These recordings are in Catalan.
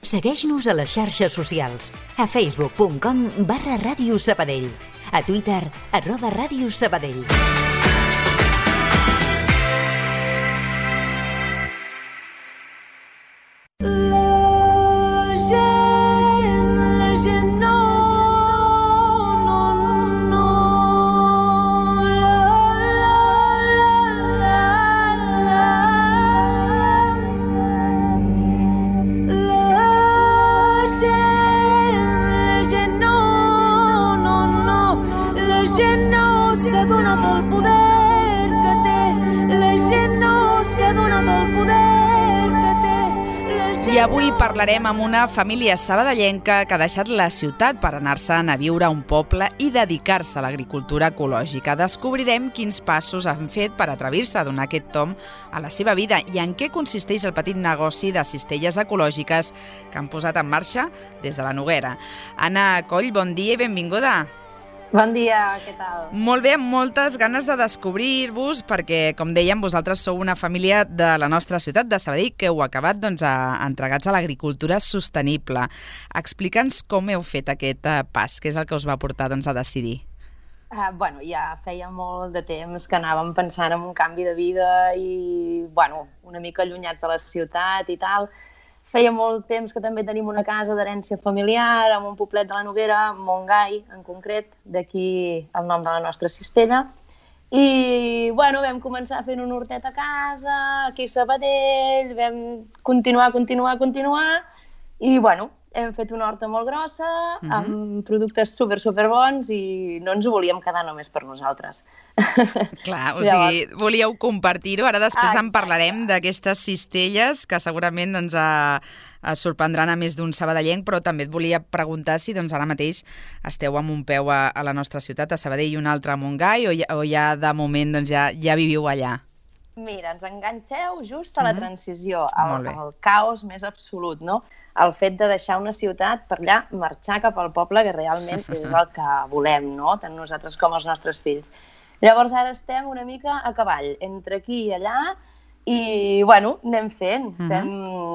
Segueix-nos a les xarxes socials, a facebook.com/Ràdio Sabadell, a Twitter, @Ràdio Sabadell. I avui parlarem amb una família sabadellenca que ha deixat la ciutat per anar-se'n a viure a un poble i dedicar-se a l'agricultura ecològica. Descobrirem quins passos han fet per atrevir-se a donar aquest tomb a la seva vida i en què consisteix el petit negoci de cistelles ecològiques que han posat en marxa des de la Noguera. Anna Coll, bon dia i benvinguda. Bon dia, què tal? Molt bé, amb moltes ganes de descobrir-vos perquè, com dèiem, vosaltres sou una família de la nostra ciutat de Sabadell que heu acabat entregats a l'agricultura sostenible. Explica'ns com heu fet aquest pas, què és el que us va portar a decidir. Ja feia molt de temps que anàvem pensant en un canvi de vida i una mica allunyats de la ciutat i tal. Feia molt temps que també tenim una casa d'herència familiar en un poblet de la Noguera, Montgai, en concret, d'aquí el nom de la nostra cistella. I, vam començar fent un hortet a casa, aquí a Sabadell, vam continuar, i, hem fet una horta molt grossa, amb productes super bons i no ens ho volíem quedar només per nosaltres. Clar, o sigui, volíeu compartir-ho. Ara després en parlarem d'aquestes cistelles que segurament sorprendran a més d'un sabadellenc, però també et volia preguntar si ara mateix esteu amb un peu a la nostra ciutat, a Sabadell, i un altre a Montgai, o ja de moment ja viviu allà? Mira, ens enganxeu just a la transició, al caos més absolut, no? El fet de deixar una ciutat per allà, marxar cap al poble, que realment és el que volem, no? Tant nosaltres com els nostres fills. Llavors ara estem una mica a cavall, entre aquí i allà, i, anem fent. Fem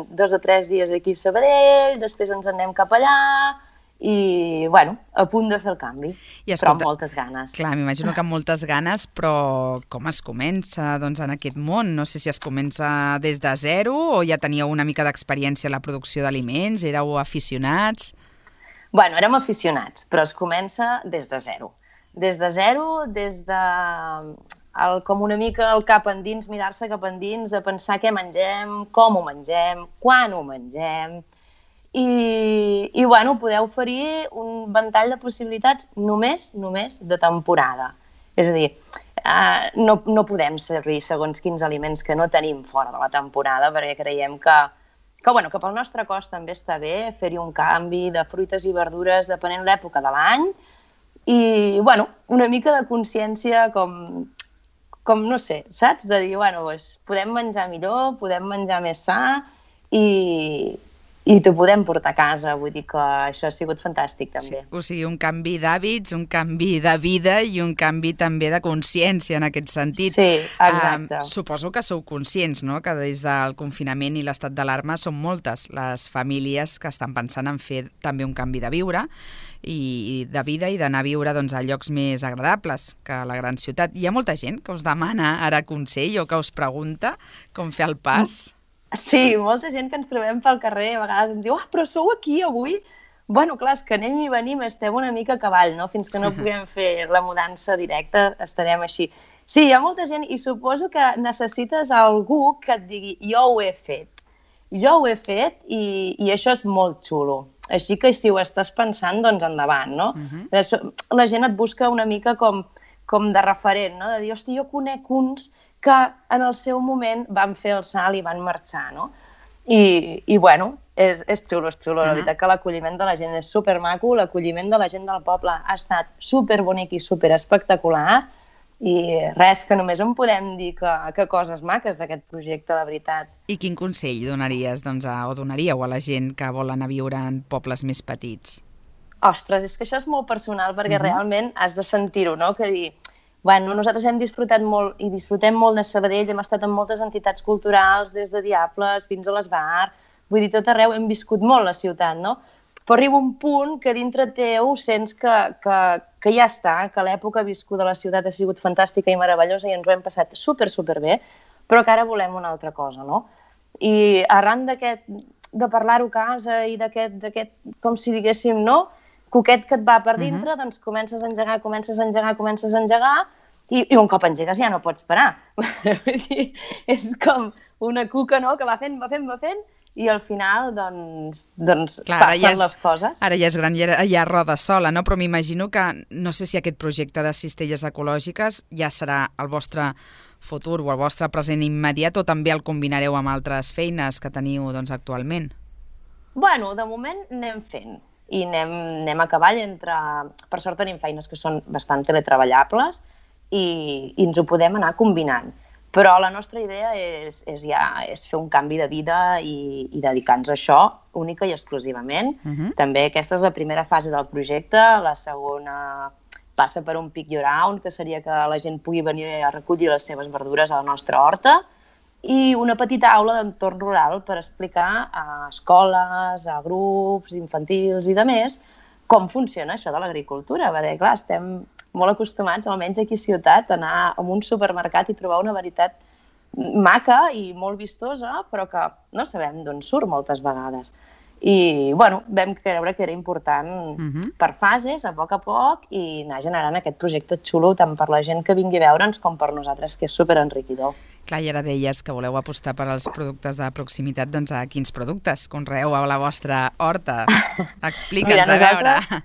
2 o 3 dies aquí a Sabadell, després ens anem cap allà, i, a punt de fer el canvi, però amb moltes ganes. Clar, m'imagino que amb moltes ganes, però com es comença en aquest món? No sé si es comença des de zero o ja teníeu una mica d'experiència en la producció d'aliments, éreu aficionats? Érem aficionats, però es comença des de zero. Des de com una mica el cap endins, mirar-se cap endins, de pensar què mengem, com ho mengem, quan ho mengem. I poder oferir un ventall de possibilitats només de temporada. És a dir, no podem servir segons quins aliments que no tenim fora de la temporada, perquè creiem que pel nostre cos també està bé fer-hi un canvi de fruites i verdures depenent l'època de l'any i, una mica de consciència com no sé, saps? De dir, podem menjar millor, podem menjar més sa i t'ho podem portar a casa, vull dir que això ha sigut fantàstic també. Sí, o sigui, un canvi d'hàbits, un canvi de vida i un canvi també de consciència en aquest sentit. Sí, exacte. Suposo que sou conscients, no?, que des del confinament i l'estat d'alarma són moltes les famílies que estan pensant en fer també un canvi de viure i de vida i d'anar a viure a llocs més agradables que a la gran ciutat. Hi ha molta gent que us demana ara consell o que us pregunta com fer el pas? Sí, molta gent que ens trobem pel carrer, a vegades ens diu, però sou aquí avui? Clar, és que anem i venim, estem una mica a cavall, no? Fins que no puguem fer la mudança directa, estarem així. Sí, hi ha molta gent i suposo que necessites algú que et digui, jo ho he fet. Jo ho he fet i això és molt xulo. Així que si ho estàs pensant, doncs endavant, no? La gent et busca una mica com de referent, no? De dir, hosti, jo conec uns que en el seu moment van fer el salt i van marxar, no? I és xulo, la veritat que l'acolliment de la gent és supermaco, l'acolliment de la gent del poble ha estat superbonic i superespectacular i res, que només en podem dir que coses maques d'aquest projecte, de veritat. I quin consell donaries, o donaríeu a la gent que vol anar a viure en pobles més petits? Ostres, és que això és molt personal perquè realment has de sentir-ho, no? Que dir, nosaltres hem disfrutat molt i disfrutem molt de Sabadell, hem estat en moltes entitats culturals, des de Diables fins a l'Esbar, vull dir, tot arreu hem viscut molt la ciutat, no? Però arriba un punt que dintre teu sents que ja està, que l'època viscuda a la ciutat ha sigut fantàstica i meravellosa i ens ho hem passat super bé, però que ara volem una altra cosa, no? I arran de parlar-ho a casa i d'aquest, com si diguéssim, no? Coquet que et va per dintre, doncs comences a engegar, i un cop engegues ja no pots parar. És com una cuca, no?, que va fent, i al final, doncs passen les coses. Ara ja és gran, ja roda sola, no? Però m'imagino que, no sé si aquest projecte de cistelles ecològiques ja serà el vostre futur o el vostre present immediat o també el combinareu amb altres feines que teniu actualment? Bueno, de moment anem fent i anem a cavall per sort tenim feines que són bastant teletreballables i ens ho podem anar combinant. Però la nostra idea és fer un canvi de vida i dedicar-nos a això única i exclusivament. També aquesta és la primera fase del projecte, la segona passa per un pick your own, que seria que la gent pugui venir a recollir les seves verdures a la nostra horta, i una petita aula d'entorn rural per explicar a escoles, a grups infantils i demés com funciona això de l'agricultura, perquè clar, estem molt acostumats, almenys aquí a ciutat, a anar a un supermercat i trobar una varietat maca i molt vistosa, però que no sabem d'on surt moltes vegades. I, bueno, vam creure que era important per fases, a poc, i anar generant aquest projecte xulo tant per la gent que vingui a veure'ns com per nosaltres, que és superenriquidor. Clar, i ara deies que voleu apostar per als productes de proximitat, doncs a quins productes conreeu a la vostra horta? Explica'ns, a veure.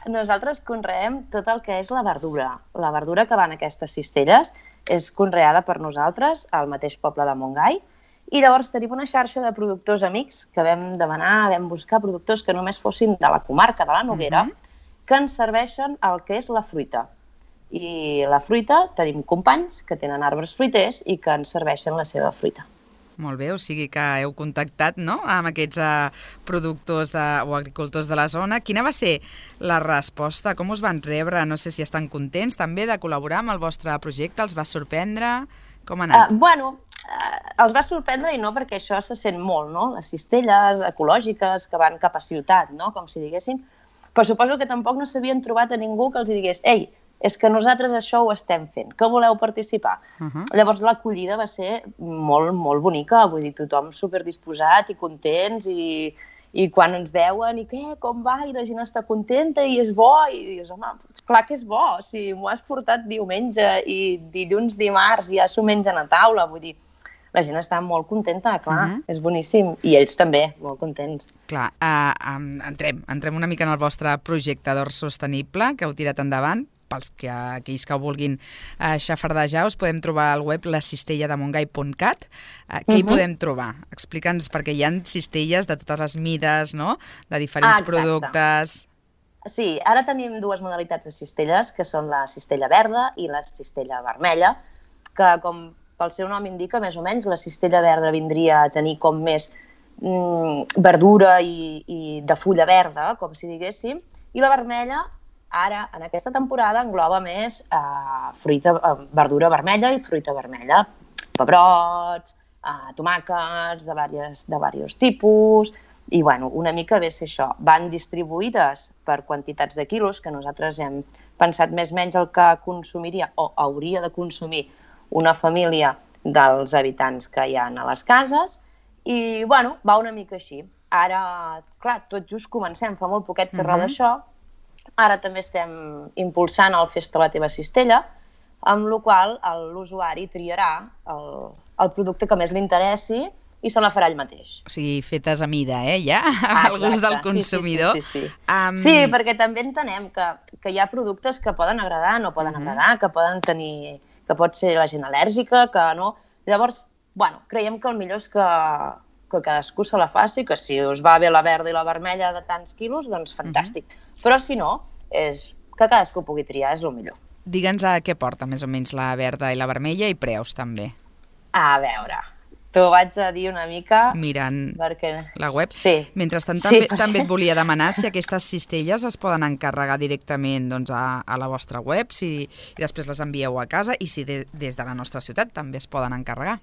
Nosaltres conreem tot el que és la verdura. La verdura que va en aquestes cistelles és conreada per nosaltres al mateix poble de Montgai, i llavors tenim una xarxa de productors amics que vam buscar productors que només fossin de la comarca de la Noguera, que ens serveixen el que és la fruita. I la fruita tenim companys que tenen arbres fruiters i que ens serveixen la seva fruita. Molt bé, o sigui que heu contactat, no?, amb aquests productors o agricultors de la zona. Quina va ser la resposta? Com us van rebre? No sé si estan contents també de col·laborar amb el vostre projecte. Els va sorprendre? Com ha anat? Els va sorprendre i no, perquè això se sent molt, no? Les cistelles ecològiques que van cap a ciutat, no?, com si diguéssim. Però suposo que tampoc no s'havien trobat a ningú que els digués «Ei, és que nosaltres això ho estem fent, que voleu participar?» Llavors l'acollida va ser molt, molt bonica, vull dir, tothom superdisposat i contents i quan ens veuen i què, com va, i la gent està contenta i és bo, i dius, home, clar que és bo, si m'ho has portat diumenge i dilluns, dimarts ja s'ho mengen a taula, vull dir, la gent està molt contenta, clar, és boníssim, i ells també, molt contents. Clar, entrem una mica en el vostre projecte d'hort sostenible que heu tirat endavant. Pels que aquells que ho vulguin xafardejar, us podem trobar al web lacistellademontgai.cat. Què hi podem trobar? Explica'ns, perquè hi ha cistelles de totes les mides, no?, de diferents productes. Sí, ara tenim dues modalitats de cistelles, que són la cistella verda i la cistella vermella, que com pel seu nom indica, més o menys, la cistella verda vindria a tenir com més verdura i de fulla verda, com si diguéssim, i la vermella ara, en aquesta temporada, engloba més verdura vermella i fruita vermella. Pebrots, tomàquets de diversos tipus, i una mica ve ser això. Van distribuïdes per quantitats de quilos, que nosaltres hem pensat més o menys el que consumiria o hauria de consumir una família dels habitants que hi ha a les cases, i va una mica així. Ara, clar, tot just comencem, fa molt poquet que roda això. Ara també estem impulsant el Festa la teva cistella, amb la qual l'usuari triarà el producte que més li interessi i se la farà ell mateix. O sigui, fetes a mida, ja? Al gust del consumidor. Sí, perquè també entenem que hi ha productes que poden agradar, no poden agradar, que poden tenir, que pot ser la gent al·lèrgica, que no. Llavors, creiem que el millor és que cadascú se la faci, que si us va bé la verda i la vermella de tants quilos, doncs fantàstic. Però si no, és que cadascú pugui triar, és el millor. Digue'ns a què porta més o menys la verda i la vermella i preus també. A veure, t'ho vaig a dir una mica... Mirant la web. Sí. Mentrestant, també et volia demanar si aquestes cistelles es poden encarregar directament a la vostra web i després les envieu a casa i si des de la nostra ciutat també es poden encarregar.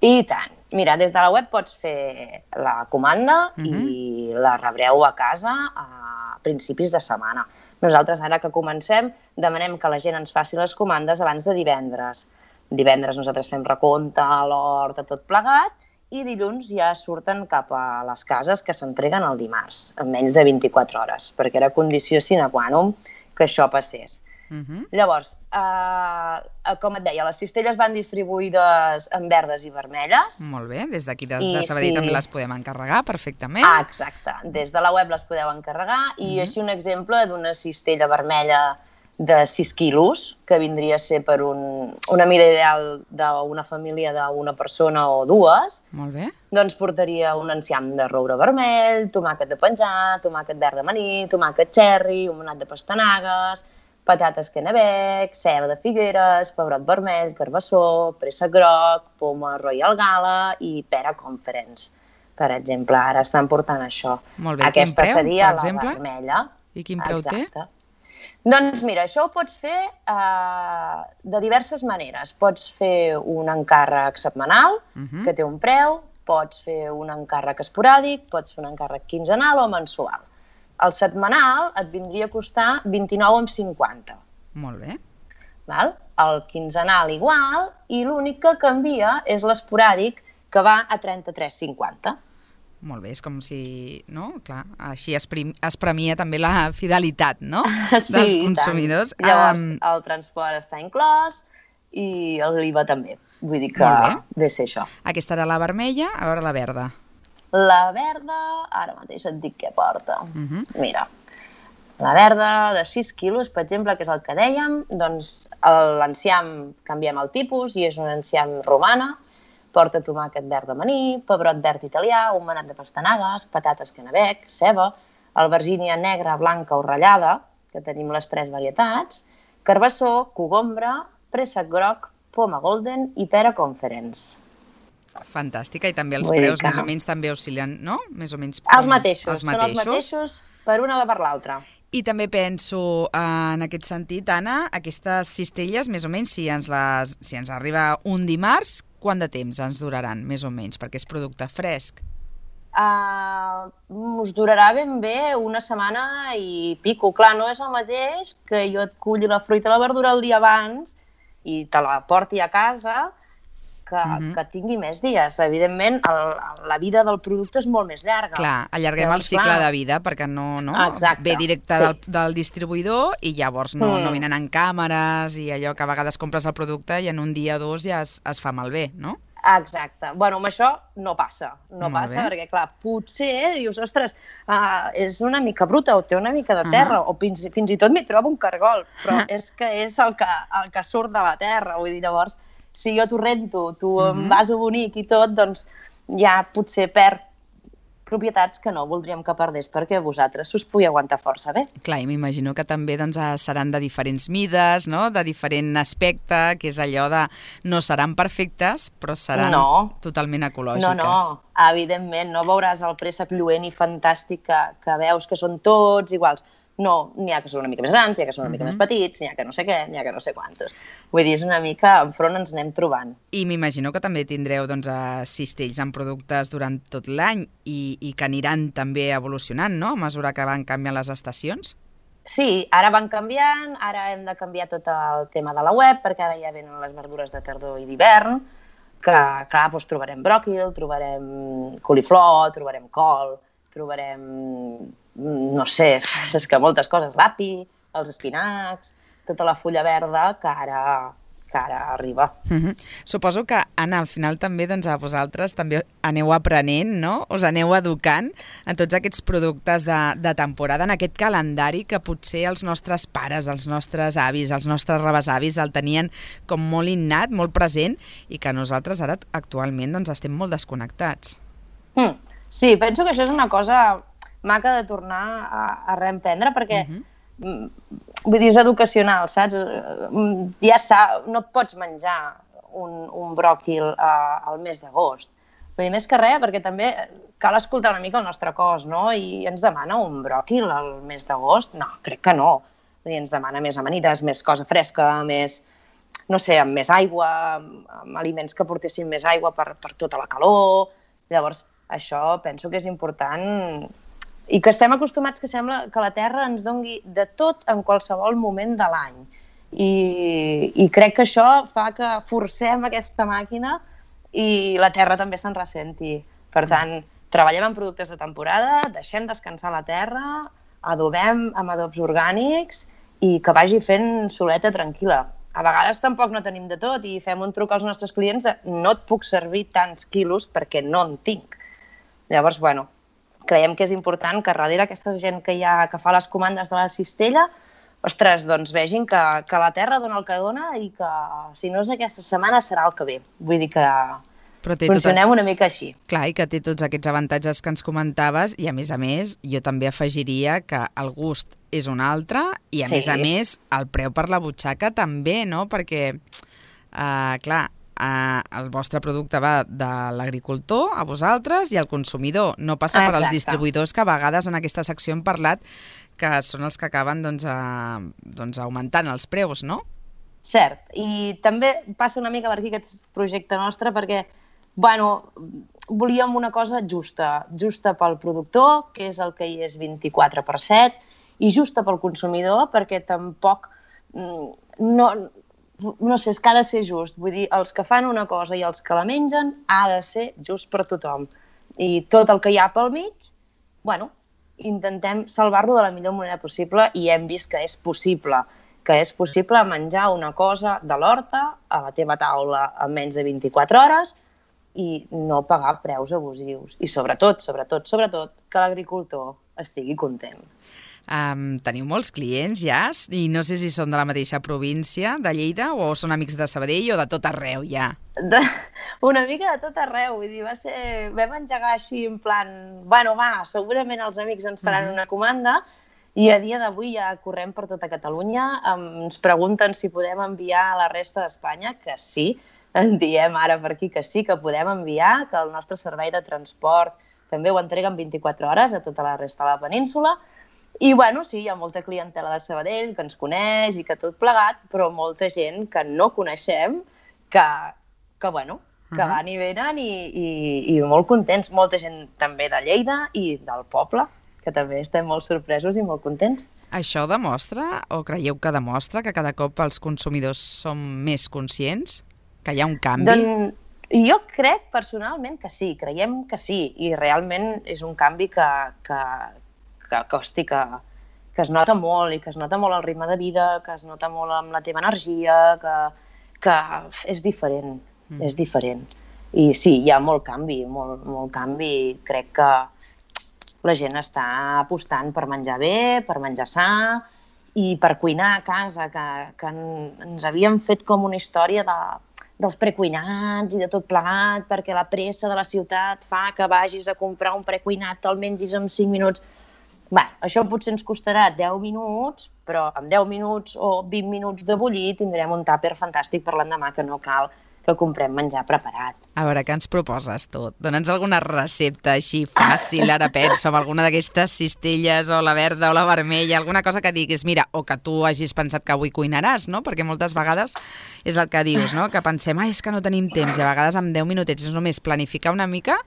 I tant. Mira, des de la web pots fer la comanda i la rebreu a casa a principis de setmana. Nosaltres, ara que comencem, demanem que la gent ens faci les comandes abans de divendres. Divendres nosaltres fem recompte a l'hort, tot plegat, i dilluns ja surten cap a les cases que s'entreguen el dimarts, en menys de 24 hores, perquè era condició sine qua non que això passés. Llavors, com et deia, les cistelles van distribuïdes en verdes i vermelles. Molt bé, des d'aquí de Sabadell també les podem encarregar perfectament. Exacte, des de la web les podeu encarregar i així un exemple d'una cistella vermella de 6 quilos, que vindria a ser per una mida ideal d'una família d'una persona o dues. Molt bé. Doncs portaria un enciam de roure vermell, tomàquet de penjar, tomàquet verd d'amanir, tomàquet cherry, un manat de pastanagues, patates Kennebec, ceba de Figueres, pebrot vermell, carbassó, préssec groc, poma Royal Gala i pera Conference. Per exemple, ara estan portant això. Molt bé, aquesta quin preu, seria per exemple? La vermella. I quin preu té? Doncs mira, això ho pots fer de diverses maneres. Pots fer un encàrrec setmanal, que té un preu, pots fer un encàrrec esporàdic, pots fer un encàrrec quinzenal o mensual. El setmanal et vindria a costar 29,50. Molt bé. El quinzenal igual, i l'únic que canvia és l'esporàdic, que va a 33,50. Molt bé, és com si, no? Clar, així es premia també la fidelitat, no? Dels consumidors. Llavors, el transport està inclòs i l'IVA també. Vull dir que ve ser això. Aquesta era la vermella, a veure la verda. La verda, ara mateix et dic què porta. Mira, la verda de 6 quilos, per exemple, que és el que dèiem, doncs l'enciam canviem el tipus i és un enciam romana, porta tomàquet verd d'amanir, pebrot verd italià, un manat de pastanagues, patates Kennebec, ceba, albergínia negra, blanca o ratllada, que tenim les 3 varietats, carbassó, cogombra, préssec groc, poma golden i pera Conference. Fantàstica, i també els preus més o menys també oscil·len, no? Més o menys els mateixos, són els mateixos per una o per l'altra. I també penso, en aquest sentit, Anna, aquestes cistelles, més o menys, si ens arriba un dimarts, quant de temps ens duraran, més o menys, perquè és producte fresc? Us durarà ben bé una setmana i pico. Clar, no és el mateix que jo et culli la fruita i la verdura el dia abans i te la porti a casa, que tingui més dies. Evidentment, la vida del producte és molt més llarga. Clar, allarguem el cicle de vida perquè no ve directe del distribuïdor i llavors no venen en càmeres i allò que a vegades compres el producte i en un dia o dos ja es fa malbé, no? Exacte. Bueno, amb això no passa. No passa perquè, clar, potser dius, ostres, és una mica bruta o té una mica de terra o fins i tot m'hi trobo un cargol, però és que és el que surt de la terra. Vull dir, llavors, si jo t'ho rento, tu em vaso bonic i tot, doncs ja potser perd propietats que no voldríem que perdés perquè vosaltres us pugui aguantar força bé. Clar, i m'imagino que també seran de diferents mides, no? De diferent aspecte, que és allò de no seran perfectes, però seran totalment ecològiques. No, evidentment, no veuràs el préssec lluent i fantàstic que veus que són tots iguals. No, n'hi ha que són una mica més grans, n'hi ha que són una mica més petits, n'hi ha que no sé què, n'hi ha que no sé quantos. Vull dir, és una mica enfront ens anem trobant. I m'imagino que també tindreu cistells amb productes durant tot l'any i que aniran també evolucionant, no?, a mesura que van canviant les estacions? Sí, ara van canviant, ara hem de canviar tot el tema de la web, perquè ara ja venen les verdures de tardor i d'hivern, que, clar, doncs trobarem bròquil, trobarem coliflor, trobarem col, trobarem, no sé, és que moltes coses, l'api, els espinacs, tota la fulla verda que ara arriba. Suposo que, Anna, al final també a vosaltres també aneu aprenent, no? Us aneu educant en tots aquests productes de temporada, en aquest calendari que potser els nostres pares, els nostres avis, els nostres rebesavis el tenien com molt innat, molt present, i que nosaltres ara actualment estem molt desconnectats. Sí, penso que això és una cosa maca de tornar a reemprendre, perquè vull dir, és educacional, saps? Ja no pots menjar un bròquil al mes d'agost. Vull dir, més que res, perquè també cal escoltar una mica el nostre cos, no? I ens demana un bròquil al mes d'agost? No, crec que no. Vull dir, ens demana més amanides, més cosa fresca, més no sé, amb més aigua, amb aliments que portessin més aigua per tota la calor. Llavors, això penso que és important i que estem acostumats que sembla que la Terra ens doni de tot en qualsevol moment de l'any. I crec que això fa que forcem aquesta màquina i la Terra també se'n ressenti. Per tant, treballem en productes de temporada, deixem descansar la terra, adobem amb adobs orgànics i que vagi fent soleta tranquil·la. A vegades tampoc no tenim de tot i fem un truc als nostres clients de no et puc servir tants quilos perquè no en tinc. Llavors, bueno, creiem que és important que darrere aquesta gent que fa les comandes de la cistella, ostres, doncs vegin que la terra dona el que dona i que si no és aquesta setmana serà el que ve. Vull dir que funcionem una mica així. Clar, i que té tots aquests avantatges que ens comentaves i, a més, jo també afegiria que el gust és un altre i, a més, el preu per la butxaca també, no? Perquè, clar, el vostre producte va de l'agricultor a vosaltres i al consumidor. No passa per als distribuïdors que a vegades en aquesta secció hem parlat que són els que acaben augmentant els preus, no? Cert, i també passa una mica per aquí aquest projecte nostre perquè volíem una cosa justa pel productor, que és el que hi és 24/7, i justa pel consumidor, perquè tampoc, no sé, és que ha de ser just. Vull dir, els que fan una cosa i els que la mengen ha de ser just per tothom. I tot el que hi ha pel mig, intentem salvar-lo de la millor manera possible i hem vist que és possible menjar una cosa de l'horta a la teva taula en menys de 24 hores i no pagar preus abusius. I sobretot, que l'agricultor estigui content. Teniu molts clients ja? I no sé si són de la mateixa província de Lleida o són amics de Sabadell o de tot arreu ja? Una mica de tot arreu. Vull dir, vam engegar així en plan, segurament els amics ens faran una comanda i a dia d'avui ja correm per tota Catalunya. Ens pregunten si podem enviar a la resta d'Espanya, que sí. En diem ara per aquí que sí, que podem enviar, que el nostre servei de transport també ho entrega en 24 hores a tota la resta de la península. I, sí, hi ha molta clientela de Sabadell que ens coneix i que tot plegat, però molta gent que no coneixem, que van i venen i molt contents. Molta gent també de Lleida i del poble, que també estem molt sorpresos i molt contents. Això demostra, o creieu que demostra, que cada cop els consumidors som més conscients? Que hi ha un canvi? Doncs jo crec personalment que sí, creiem que sí, i realment és un canvi que es nota molt i que es nota molt el ritme de vida, que es nota molt amb la teva energia, que és diferent, és diferent. I sí, hi ha molt canvi, molt canvi. Crec que la gent està apostant per menjar bé, per menjar sa i per cuinar a casa, que ens havíem fet com una història dels precuinats i de tot plegat, perquè la pressa de la ciutat fa que vagis a comprar un precuinat, te'l mengis en 5 minuts. Això potser ens costarà 10 minuts, però amb 10 minuts o 20 minuts de bullir tindrem un tàper fantàstic per l'endemà, que no cal que comprem menjar preparat. A veure, què ens proposes tu? Dona'ns alguna recepta així fàcil, ara penso, amb alguna d'aquestes cistelles, o la verda o la vermella, alguna cosa que diguis, mira, o que tu hagis pensat que avui cuinaràs, no? Perquè moltes vegades és el que dius, no? Que pensem, és que no tenim temps, i a vegades amb 10 minutets és només planificar una mica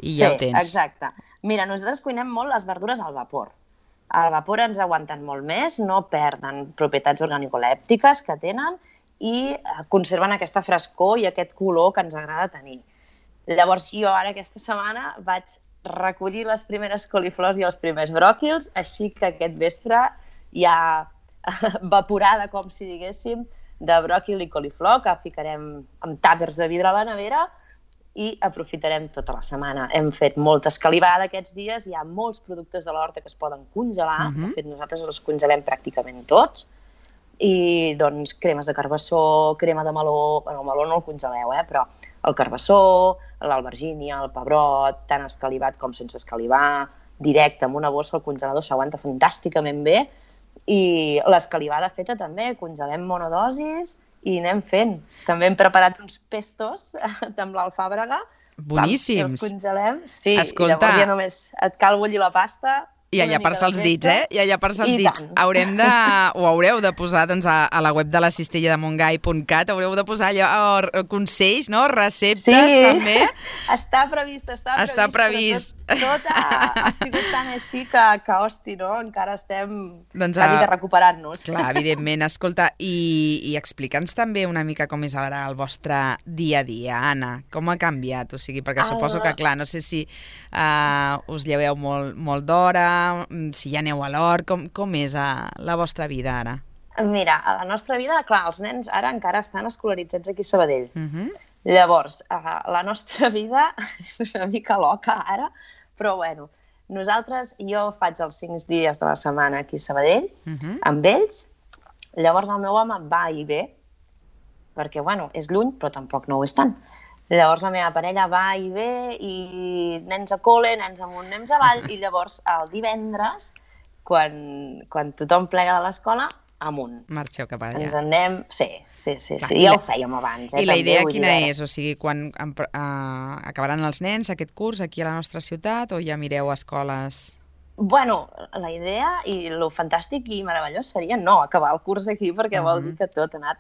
i ja ho tens. Sí, exacte. Mira, nosaltres cuinem molt les verdures al vapor. Al vapor ens aguanten molt més, no perden propietats organolèptiques que tenen i conserven aquesta frescor i aquest color que ens agrada tenir. Llavors, jo ara aquesta setmana vaig recollir les primeres coliflors i els primers bròquils, així que aquest vespre hi ha vaporada, com si diguéssim, de bròquil i coliflor, que ficarem amb tàpers de vidre a la nevera i aprofitarem tota la setmana. Hem fet molta escalivada aquests dies, hi ha molts productes de l'horta que es poden congelar, de fet nosaltres els congelem pràcticament tots, i doncs cremes de carbassó, crema de meló, el meló no el congeleu, però el carbassó, l'albergínia, el pebrot, tant escalivat com sense escalivar, directe amb una bossa al congelador, s'aguanta fantàsticament bé, i l'escalivada feta també, congelem monodosis i anem fent. També hem preparat uns pestos amb l'alfàbrega. Boníssims. Els congelem, sí, escolta, i llavors ja només et cal bullir la pasta. I a llepar-se els dits, I a llepar-se els dits. Ho haureu de posar doncs, a la web de la cistella de Montgai.cat, haureu de posar allò, consells, no? Receptes, també. Està previst. Està previst. Tot ha sigut tan així que hosti, no? Encara estem quasi de recuperant-nos. Clar, evidentment. Escolta, i explica'ns també una mica com és ara el vostre dia a dia, Anna. Com ha canviat? O sigui, perquè suposo que, clar, no sé si us lleveu molt d'hora, si ja aneu a l'hort, com és la vostra vida ara? Mira, a la nostra vida, clar, els nens ara encara estan escolaritzats aquí a Sabadell. Llavors, la nostra vida és una mica loca ara, però bueno, jo faig els 5 dies de la setmana aquí a Sabadell, amb ells, llavors el meu home va i ve, perquè, bueno, és lluny, però tampoc no ho és tant. Llavors la meva parella va i ve, i nens a col·le, nens amunt, nens avall, i llavors el divendres, quan tothom plega de l'escola, amunt. Marxeu cap allà. Ens en anem... Sí. Ja ho fèiem abans. I la idea quina és? O sigui, quan acabaran els nens aquest curs aquí a la nostra ciutat o ja mireu escoles? Bueno, la idea i el fantàstic i meravellós seria no acabar el curs aquí perquè vol dir que tot ha anat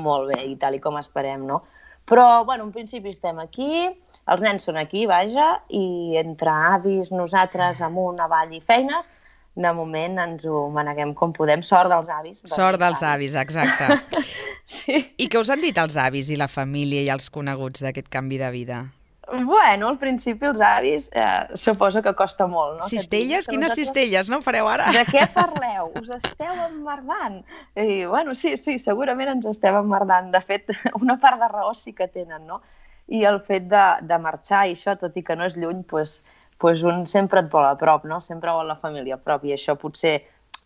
molt bé i tal i com esperem, no? Però, bueno, en principi estem aquí, els nens són aquí, vaja, i entre avis, nosaltres, amunt, avall i feines, de moment ens ho maneguem com podem. Sort dels avis. Sort dels avis, exacte. Sí. I què us han dit els avis i la família i els coneguts d'aquest canvi de vida? Bueno, al principi els avis suposo que costa molt, no? Cistelles? Quines cistelles, no fareu ara? De què parleu? Us esteu emmerdant? I, bueno, sí, segurament ens estem emmerdant. De fet, una part de raó sí que tenen, no? I el fet de marxar i això, tot i que no és lluny, doncs un sempre et vol a prop, no? Sempre vol la família a prop i això potser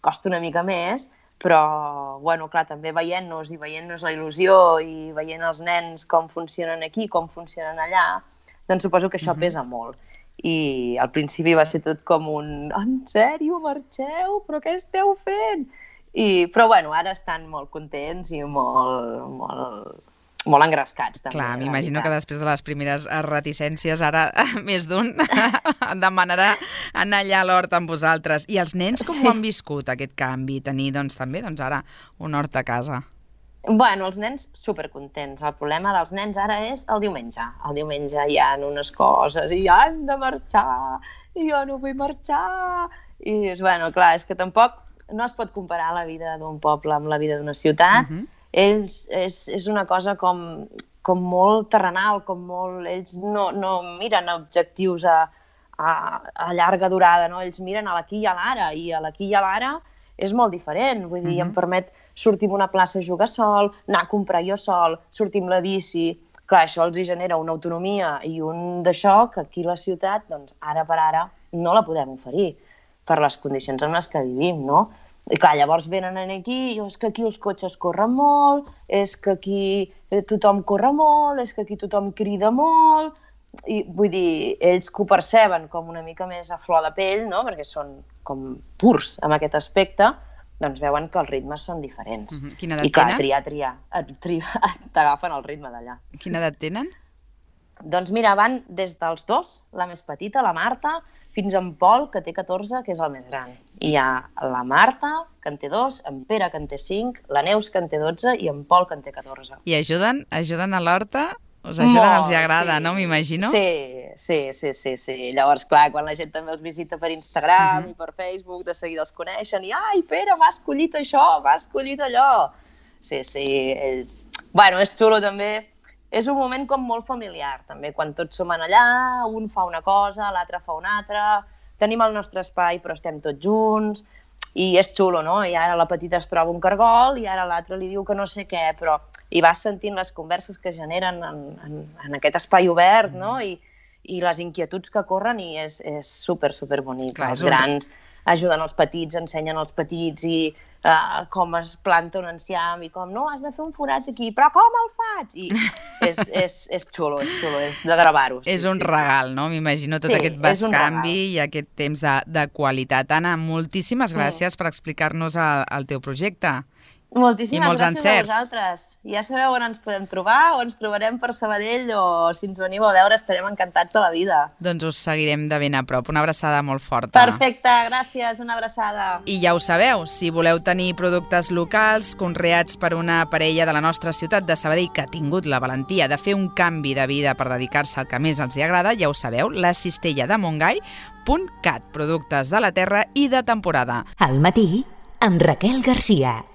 costa una mica més, però, bueno, clar, també veient-nos la il·lusió i veient els nens com funcionen aquí, com funcionen allà, doncs suposo que això pesa molt. I al principi va ser tot com un en sèrio, marxeu? Però què esteu fent? Però, bueno, ara estan molt contents i molt engrescats. També, clar, m'imagino que després de les primeres reticències ara més d'un demanarà anar allà a l'hort amb vosaltres. I els nens com ho han viscut, aquest canvi? Tenir, doncs, també ara un hort a casa. Bueno, els nens supercontents. El problema dels nens ara és el diumenge. El diumenge hi ha unes coses i han de marxar i jo no vull marxar. I, bueno, clar, és que tampoc no es pot comparar la vida d'un poble amb la vida d'una ciutat. Ells és una cosa com molt terrenal, ells no miren objectius a llarga durada, no? Ells miren a l'aquí i a l'ara, i a l'aquí i a l'ara és molt diferent. Vull dir, em permet sortir a una plaça a jugar sol, anar a comprar jo sol, sortir amb la bici. Clar, això els genera una autonomia i un d'això que aquí a la ciutat, doncs, ara per ara, no la podem oferir per les condicions en les que vivim, no? I clar, llavors venen aquí i és que aquí els cotxes corren molt, és que aquí tothom corre molt, és que aquí tothom crida molt, i vull dir, ells que ho perceben com una mica més a flor de pell, no? Perquè són com purs en aquest aspecte, doncs veuen que els ritmes són diferents. Quina edat tenen? I clar, triar, t'agafen el ritme d'allà. Quina edat tenen? Doncs mira, van des dels 2, la més petita, la Marta, fins en Pol, que té 14, que és el més gran. I hi ha la Marta, que en té 2, en Pere, que en té 5, la Neus, que en té 12, i en Pol, que en té 14. I ajuden a l'horta? Us ajuden, els agrada, no? M'imagino? Sí. Llavors, clar, quan la gent també els visita per Instagram i per Facebook, de seguida els coneixen i ai, Pere, m'ha escollit això, m'ha escollit allò. Sí, ells... Bueno, és xulo també. És un moment com molt familiar, també, quan tots som allà, un fa una cosa, l'altre fa una altra, tenim el nostre espai però estem tots junts, i és xulo, no? I ara la petita es troba un cargol i ara l'altre li diu que no sé què, però hi vas sentint les converses que generen en aquest espai obert, no? I les inquietuds que corren i és super bonic. Clar, els grans ajuden els petits, ensenyen als petits i com es planta un enciam i com, no, has de fer un forat aquí, però com el faig? I és xulo, és de gravar-ho. És un regal, no? M'imagino tot aquest bescanvi i aquest temps de qualitat. Anna, moltíssimes gràcies per explicar-nos el teu projecte Moltíssimes molts gràcies encerts. a vosaltres. Ja sabeu on ens podem trobar, o ens trobarem per Sabadell, o si ens veniu a veure estarem encantats de la vida. Doncs us seguirem de ben a prop. Una abraçada molt forta. Perfecte, gràcies, una abraçada. I ja ho sabeu, si voleu tenir productes locals conreats per una parella de la nostra ciutat de Sabadell que ha tingut la valentia de fer un canvi de vida per dedicar-se al que més els hi agrada, ja ho sabeu, la cistella de Montgai.cat, productes de la terra i de temporada. Al matí, amb Raquel Garcia.